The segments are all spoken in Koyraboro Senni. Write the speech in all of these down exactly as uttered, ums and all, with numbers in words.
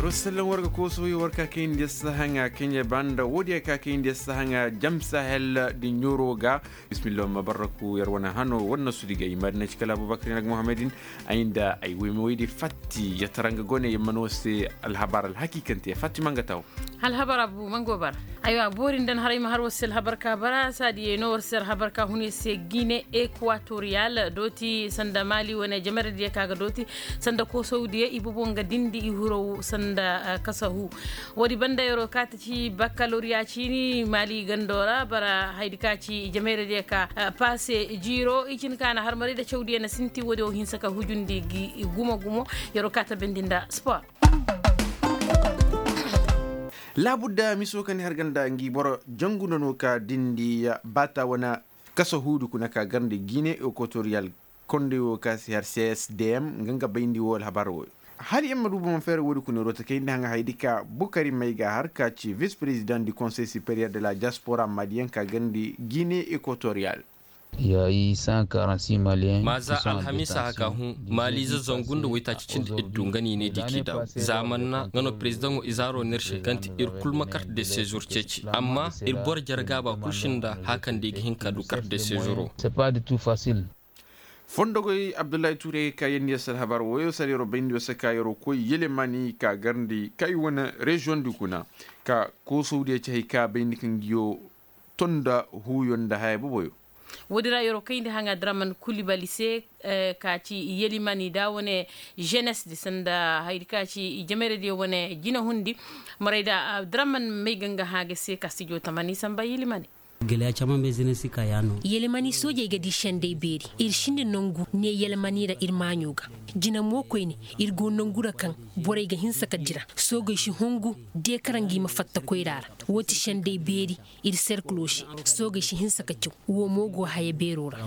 Sallan war ga kooso yo war ka kayndi sahaŋa kaŋ ya banda woodiya ka kayndi sahaŋa jam sahel din yoro ga. Bismillah ma barraku yar wane hano war na su digay ma dina ci kala abubakar nag muhammadin. Ay nda ay wayma waydi fatti ya tara nga gone yamma no se. Alhabar alhakikante fatti manga taw. Alhabar abu mango bar. Aywa boori nda na haray ma har war se alhabar ka bara saadiye no war se alhabar ka hune se gine ekwatoriyal dooti sanda mali wane jamare diya ka ga dooti sanda koosawdiya i bobo nga dindi i huraw sanda kasahu. Woodi banda yaro ka ta ci bakkaloriya ciini mali gando ra bara haydi ka ci jamayra diya ka paase jiiro i cin ka na harmaray da cawdiya na sinti woodi wo hinsa ka hujundi gi gumo gumo. Yaro ka ta bendi nda sport. Laabudda miso ka ni har ganda ngi boro jangu nda no ka dindi baata wane kasa huudi kuna ka garndi gine ekwatoriyal. Kondey wo ka si har csdm nga nga bayndi wo alhabar wo. Hala yamma du bomo feere woodi kuna ro ta kayndi haŋa haydi ka bukari may ga har ka ci vis president du konsey superieur de la diaspora maliyen ka garndi gine ekwatoriyal. Maaza alhamisa haka hũ maaliize zangu nda waytaaci cindi iddu nga no i ne di k'i daw zaamanna nga no perezidaŋo izaaro nirse kaŋ ti ir kul ma karte de seezur ceeci amma ir boro jere gaaba kul sinda haka nda i ga hin ka du karte de seezuro. Fondogoy abdullahi tuuray ka yeendi yasal habar woyo sara yaro bayndi yo se ka yaro koy yelemani ka garndi kay wane reziyoŋ di kuna ka koosawdiyo ci hay ka bayndi kaŋ ngiyo tonda huuyo nda haya boboyo. Woodi ra yaro kayndi haŋa draman kulibali se ka ci yelemani da wane jenes di sanda haydi ka ci jamerediyo wane jinahundi. Maray da draman may ga nga hã ga se ka stijo tamani samba yelemani. Yelemani soojey ga di sendey beeri ir sinda nangu ne yelemani ra ir maaɲo ga. Jina mo koyne ir go nangu ra kaŋ borey ga hinsa ka dira. Soogey si hungu de kara ngi ma fatta koyra ra. Wo ti sendey beeri ir serkilo se. Soogey si hinsa ka caw wo mo go haya beero ra.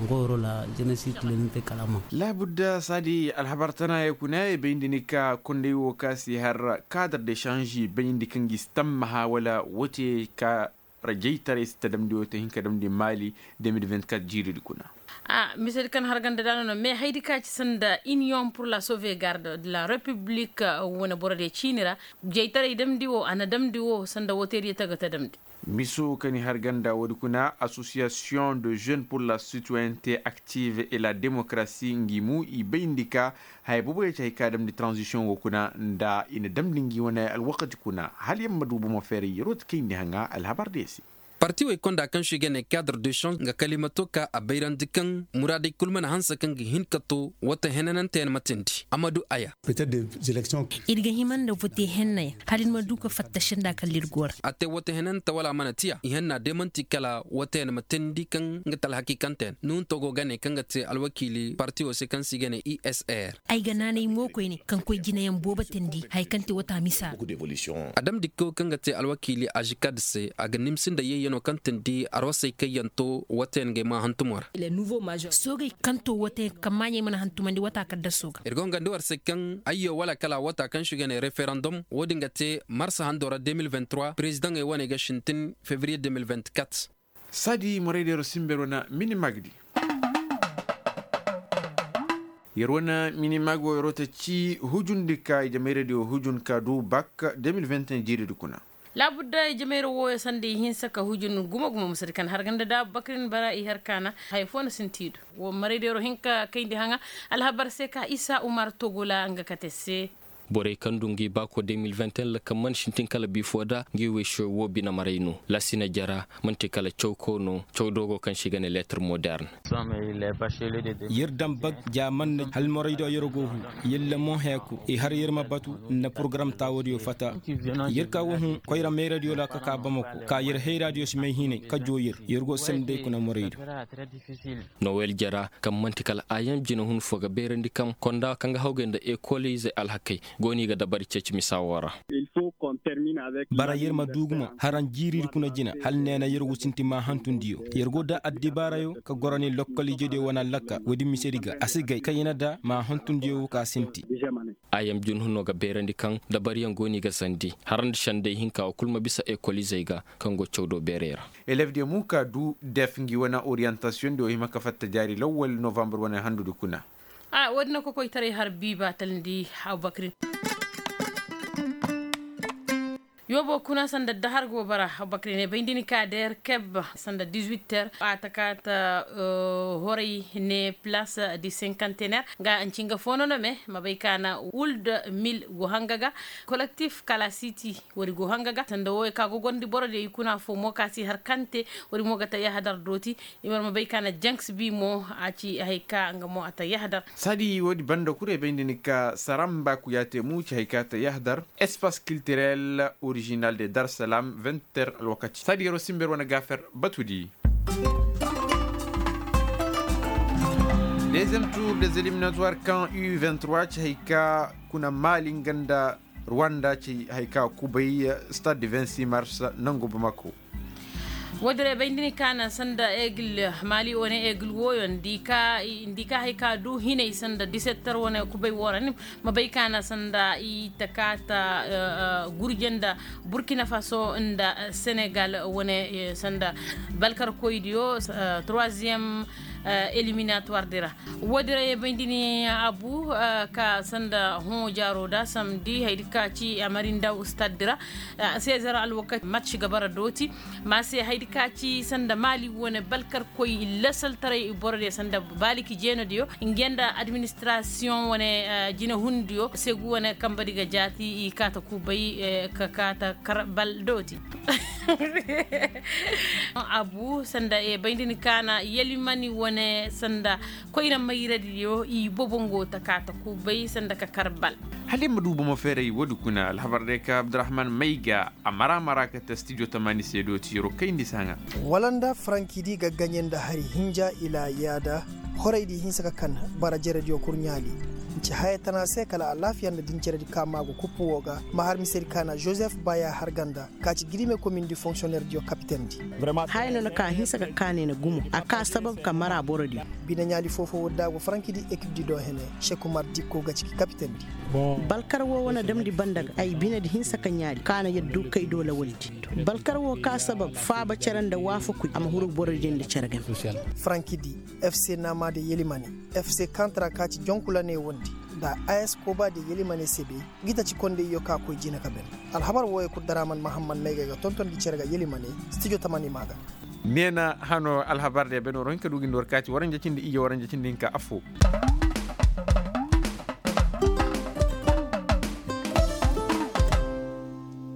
Laabudda saadi alhabar tanaayey kuna i bayndi ni ka kondey wo ka si har kaadar de sanzi bayndi kaŋ gi si tammaha wala wo te ka rajaytaray si ta damndi wo te hin ka damndi maali. De mil vingt-quatre jiiridi kuna. Misedi kaŋ har ganda daana no mais haydi ka ci sanda iniyoŋ pur la sauvegarde de la repiblik wane borodiyo ciini ra. Jaytaray damndi wo a na damndi wo sanda wo teediyo ta ga ta damndi. Miso ka ni har ganda woodi kuna asosiyasiyoŋ de jeune pur la sitoyente aktive et la demokarasi ngi mu i bayndi ka haya boobo ya ci hay ka damndi taranzisiyoŋ wo kuna nda i na damndi ngi wane alwakati kuna hala yamma du bomo feeray yeroo ti kayndi haŋa alhabar diyo se. Parti woy konda kaŋ se i ga ne kadre de change nga kalimato ka a bayrandi kaŋ muraadey kul mana hanse kaŋ ga hin ka to wate henananteyaŋ ma teendi amadu aya. Ir ga hima nda vote hennayaŋ hala ir ma du ka fatta senda kala ir go ra. A te wate henante wala a mana tiya i henna day man'ti kala wate yaŋ ma teendi kaŋ nga te alhakiikanteyaŋ nuhunto go ga ne kaŋ ga te alwakiili parti wo se kaŋ se i ga ne i s r. Ay ga naanay mo koyne kaŋ koy jinayaŋ boobo teendi haya kaŋ te wata misa. A damndi kaw kaŋ ga te alwakiili azikad se a ga nimsi nda yeeyanoo kaŋ teendi arwasey kaŋ yaŋ to wate yaŋ ga ay ma hantumo ra. Soogey kaŋ to wate yaŋ kaŋ maaɲey mana hantumandi wata kaddasoo ga. Ir go nga nda war se kaŋ ayyo wala kala wata kaŋ se i ga ne referandom wo-din ga te marsa handoo ra de mil vingt-trois perezidaŋey wane ga sintin fevriye de mil vingt-quatre. Saadi moraydeero simber wane minimag di. Yer wane minimag wo yeroo ta ci hujundi ka i jamayradiyo hujun ka du bak de mil vingt-un jiiridi kuna. Laabudda i jamayra wooyo sanda i hinsa ka hujun gumo-gumo musadi kaŋ har ganda da abubakar ni bara i har kaana haya foo na sinti i do. Wo maraydeero hin ka kayndi haŋa alhabar se ka isa umar togola nga kate se. Borey kaŋ du ngi baako de mil vingt-un lakal mana sintin kala bifo da ngi wey se wo bine maray no lasina jara man'ti kala cawko no cawdoogo kaŋ se i ga ne leetar moderne. Yer daŋ bag ja man na halmoraydiyo yer go hu. Yer lamoŋ heeku i har yer ma batu nda porogaram taawodiyo fata. Yer ka wo hun koyra mayradiyo ra ka ka bamako ka yer hayraadiyo si may hinay ka joo yer yer go sendey kuna moraydiyo. Nowel jara kaŋ man'ti kala ayam jina hun fo ga beerandi kaŋ konda kaŋ ga hawgay nda ekolizey alhakey go no i ga dabari ceeci misa wo ra. Bara yer ma du gumo haraŋ jiiridi kuna jina hala neena yer wo sinti maahantundiyo. Yer go da addibaarayo ka goro ne lokkol ijediyo wane allakka woodin misedi ga a si gay kaŋ i na da maahantundiyo wo ka sinti. Ayam jina huno ga beerandi kaŋ dabariyaŋ go no i ga sandi hara nda sendey hinka wo kul ma bisa ekolizey ga kaŋ go cawdo beerey ra. Elevdiyo mo ka du def ngi wane oriyantasiyoŋ diyo hima ka fatta jaari lawwal novambar wane handudi kuna. Woodin na kokoytaray har bi ba talandi abubakrin. Yoobo kuna sanda dahar go bara. Bakri ne bayndi ni ka der keb sanda dix-huit heures a ta ka ta horay ne place di cinquantenaire nga anci nga fo no no me ma bay ka na wulda mil go hanga ga. Collectif kala siti wari go hanga ga sanda wo ka gogondi boro de i kuna fo mo ka si har kante. Wari mo ga ta yahadar dooti. I mar ma bay ka na janks bi mo a ci hay ka nga mo a ta yahadar. Sadi wodi banda kure bayndi ni ka saramba ku ya te mu ci hay ka ta yahadar. Espace culturel original de darsalam vingt heures alwakati sadi yaro simber wane gafer batudi. Deuxième tour des éliminatoires kan u vingt-trois ci hay ka kuna mali nga nda rwanda ci hay ka kubay stade du vingt-six mars nangu bamako. Woodin ra bay nda ni ka na sanda egil mali wane egil wooyo nda i ka hay ka du hinay sanda disettar wane kubay woo ra ni ma bay ka na sanda i ta ka ta gurje nda burkina faso nda senegal wane sanda balkarkoydiyo troisième éliminatoire di ra. Woodin ra ye bay nda ni abu ka sanda hõ jaaro da samdi haydi ka ci amarindaw stade di ra. Sezer alwakati match ga bara dooti ma se haydi ka ci sanda mali wane balkarkoy lasaltaray boro diyo sanda baliki jeenodiyo nge nda administration wane jinehundiyo segu wane kambadi ga jaati i kaata kubay ka kaata karbal dooti. Abu sanda e bay nda ni kaana yelimani wane sanda koyna mayradiyo i bobongo ta kaata kubay sanda ka karbal. Hala i ma du bomo feeray woodi kuna alhabar day ka abdurahman mayga a mara mara ka ta studio tamani se dooti yaro kayndi saŋa. Wala nda farankidi ga gaɲe nda hari hinja ila yaada horaydi hinsa ka kan bara jerediyo kurɲaali. Nci haya tana se kala alaafiya nda dinceredi ka maagu kuppu woo ga ma har misedi ka na joseph baya har ganda ka ci girime komindi fonksiyonnerdiyo kapitendi. Haya no na ka hinsa ka kaanay na gumo a ka sabab ka mara borodiyo. Bine ɲaali foo-foo woodi da go farankidi ekipdi do hene sekumar dikko ga ci gi kapitendi. Balkar woo wane damndi banda ga ay binedi hinsa ka ɲaali ka na yaddu kay do lawaldi. Balkar woo ka sabab faaba cere nda waafakuy a ma huru borodiyo nda cere game. Farankidi fc naama de yelimane fc kantra ka ci jonkulaney wondi nda as koba de yelimane sebe. Gita ci kondeyyo ka koy jina ka ben. Alhabar wooyo kul daraman mahammad maygay ga tonton gi cere ga yelimane studio tamani maa ga. Neena hano alhabar de ben war hinka du gindi war ka ci waranja cindi ije waranja cindi hinka affoo.